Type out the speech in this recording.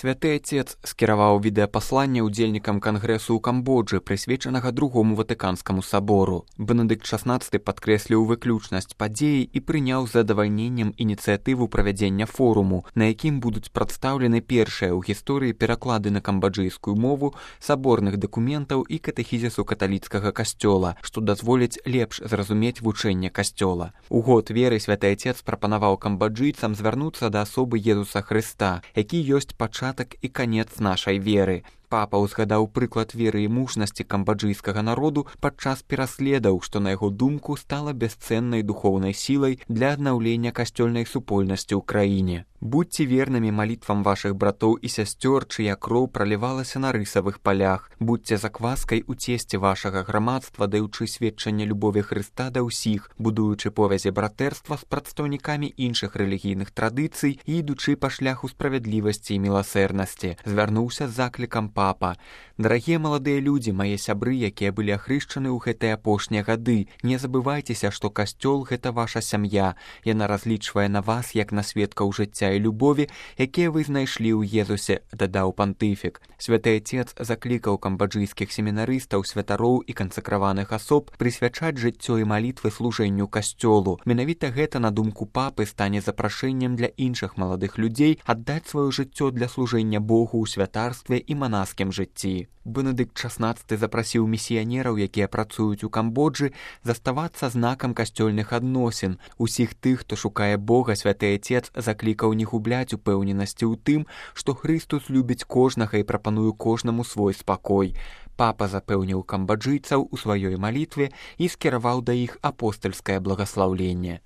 Святы Отец скіраваў відэапасланне ўдзельнікам кангрэсу ў Камбоджы, прысвечанага Другому Ватыканскаму сабору. Бенедыкт XVI падкрэсліў выключнасць падзеі і прыняў з задавальненнем ініцыятыву правядзення форуму, на якім будуць прадстаўлены першыя ў гісторыі пераклады на камбоджыйскую мову саборных дакументаў і катэхізісу каталіцкага касцёла, што дазволіць лепш зразумець вучэнне касцёла. У год веры Святы Отец прапанаваў камбоджыйцам звярнуцца да асобы Езуса Хрыста, які ёсць пачатак і канец нашай веры. Папа ўзгадаў прыклад веры і мужнасці камбоджыйскага народу падчас пераследаў, што, на яго думку, стала бясцэннай духоўнай сілай для аднаўлення касцёльнай супольнасці ў краіне. Будьце вернымі малітвам вашых братоў і сясцёр, чыя кроў пралівалася на рысавых палях. Будьце закваскай у цесце вашага грамадства, даючы сведчанне любові Хрыста да ўсіх, будуючы повязі братэрства з прадстаўнікамі іншых рэлігійных традыцый і ідучы па шляху справядлівасці і міласэрнасці. Звярнуўся з заклікам папа. Дарагія маладыя людзі, мае сябры, якія былі ахрышчаны ў гэтыя апошнія гады, не забывайцеся, што касцёл — гэта ваша сям'я. Яна разлічвае на вас, як на сведкаў жыцця і любові, якія вы знайшлі ў Езусе, дадаў пантыфік. Святы Отец заклікаў камбоджыйскіх семінарыстаў, святароў і кансакраваных асоб прысвячаць жыццё і малітвы служэнню касцёлу. Менавіта гэта, на думку папы, стане запрашэннем для іншых маладых людзей аддаць сваё жыццё для служэння Богу ў святарстве і манаскім жыцці. Бенедыкт XVI запрасіў місіянераў, якія працуюць у Камбоджы, заставацца знакам касцёльных адносін. Усіх тых, хто шукае Бога, Святы Отец заклікаў не губляць упэўненасці ў тым, што Хрыстус любіць кожнага і прапануе кожнаму свой спакой. Папа запэўніў камбоджыйцаў у сваёй малітве і скіраваў да іх апостальскае благаслаўленне.